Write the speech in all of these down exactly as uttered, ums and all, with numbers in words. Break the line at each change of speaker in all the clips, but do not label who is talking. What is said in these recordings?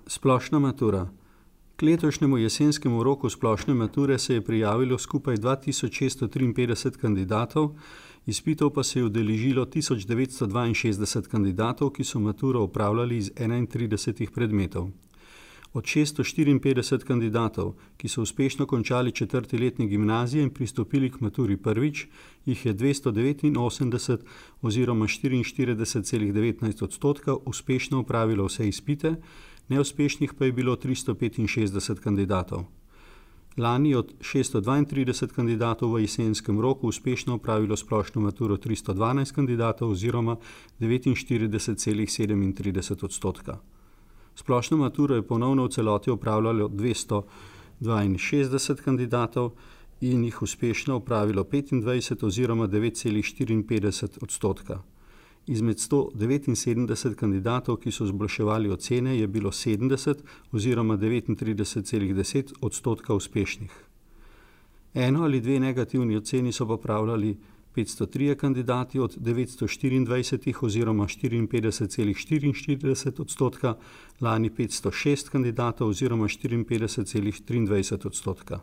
Splošna matura. K letošnjemu jesenskemu roku splošne mature se je prijavilo skupaj dva tisoč šeststo triinpetdeset kandidatov, izpitov pa se je udeležilo tisoč devetsto dvainšestdeset kandidatov, ki so maturo opravljali iz enaintridesetih predmetov. Od šeststo štiriinpetdeset kandidatov, ki so uspešno končali četrti letnik gimnazije in pristopili k maturi prvič, jih je dvesto devetinosemdeset oziroma štiriinštirideset celih devetnajst odstotka uspešno opravilo vse izpite, neuspešnih pa je bilo tristo petinšestdeset kandidatov. Lani je od šeststo dvaintrideset kandidatov v jesenskem roku uspešno opravilo splošno maturo tristo dvanajst kandidatov oziroma devetinštirideset celih sedemintrideset odstotka. Splošno maturo je ponovno v celoti opravljalo dvesto dvainšestdeset kandidatov in jih uspešno opravilo petindvajset oziroma devet celih štiriinpetdeset odstotka. Izmed sto devetinsedemdeset kandidatov, ki so izboljševali ocene, je bilo sedemdeset oziroma devetintrideset celih deset odstotka uspešnih. Eno ali dve negativni oceni so popravljali petsto trije kandidati od devetsto štiriindvajsetih oziroma štiriinpetdeset celih štiriinštirideset odstotka, lani petsto šest kandidatov oziroma štiriinpetdeset celih triindvajset odstotka.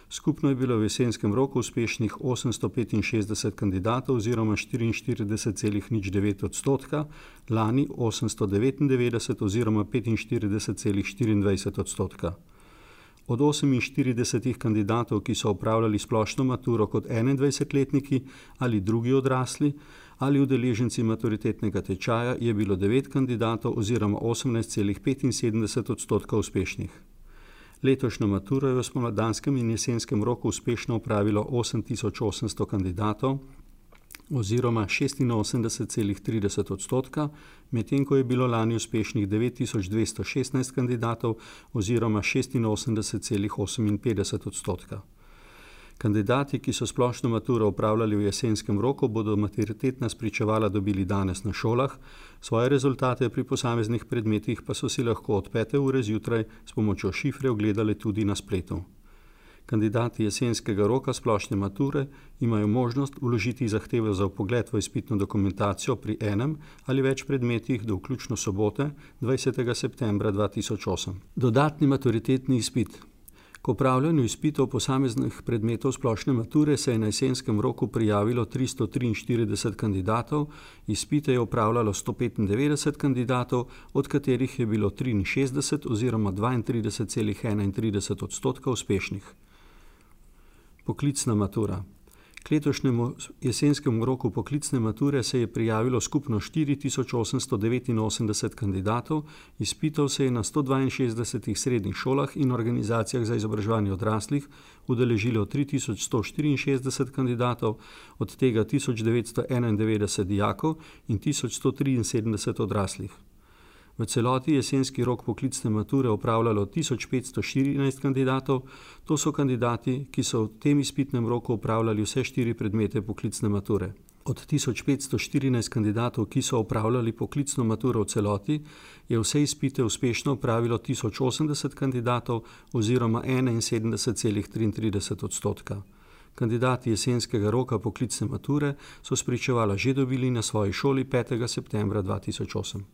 Skupno je bilo v jesenskem roku uspešnih osemsto petinšestdeset kandidatov oziroma štiriinštirideset celih nič devet odstotka, lani osemsto devetindevetdeset oziroma petinštirideset celih štiriindvajset odstotka. Od oseminštiridesetih kandidatov, ki so opravljali splošno maturo kot enaindvajsetletniki ali drugi odrasli ali udeleženci maturitetnega tečaja, je bilo devet kandidatov oziroma osemnajst celih petinsedemdeset odstotka uspešnih. Letošnjo maturo je v spomladanskem in jesenskem roku uspešno opravilo osem tisoč osemsto kandidatov oziroma šestinosemdeset celih trideset odstotka, medtem ko je bilo lani uspešnih devet tisoč dvesto šestnajst kandidatov oziroma šestinosemdeset celih oseminpetdeset odstotka. Kandidati, ki so splošno maturo opravljali v jesenskem roku, bodo maturitetna spričevala dobili danes na šolah, svoje rezultate pri posameznih predmetih pa so si lahko od pete ure zjutraj s pomočjo šifre ogledali tudi na spletu. Kandidati jesenskega roka splošne mature imajo možnost vložiti zahtevo za vpogled v izpitno dokumentacijo pri enem ali več predmetih do vključno sobote, dvajsetega septembra dva tisoč osem. Dodatni maturitetni izpit. K opravljanju izpitov posameznih predmetov splošne mature se je na jesenskem roku prijavilo tristo triinštirideset kandidatov, izpite je opravljalo sto petindevetdeset kandidatov, od katerih je bilo triinšestdeset oziroma dvaintrideset celih enaintrideset odstotka uspešnih. Poklicna matura. K letošnjemu jesenskemu roku poklicne mature se je prijavilo skupno štiri tisoč osemsto devetinosemdeset kandidatov, izpitov se je na sto dvainšestdesetih srednjih šolah in organizacijah za izobraževanje odraslih udeležilo tri tisoč sto štiriinšestdeset kandidatov, od tega tisoč devetsto enaindevetdeset dijakov in tisoč sto triinsedemdeset odraslih. V celoti jesenski rok poklicne mature opravljalo tisoč petsto štirinajst kandidatov, to so kandidati, ki so v tem izpitnem roku opravljali vse štiri predmete poklicne mature. Od tisoč petsto štirinajst kandidatov, ki so opravljali poklicno maturo v celoti, je vse izpite uspešno opravilo tisoč osemdeset kandidatov oziroma enainsedemdeset celih triintrideset odstotka. Kandidati jesenskega roka poklicne mature so spričevala že dobili na svoji šoli petega septembra dva tisoč osem.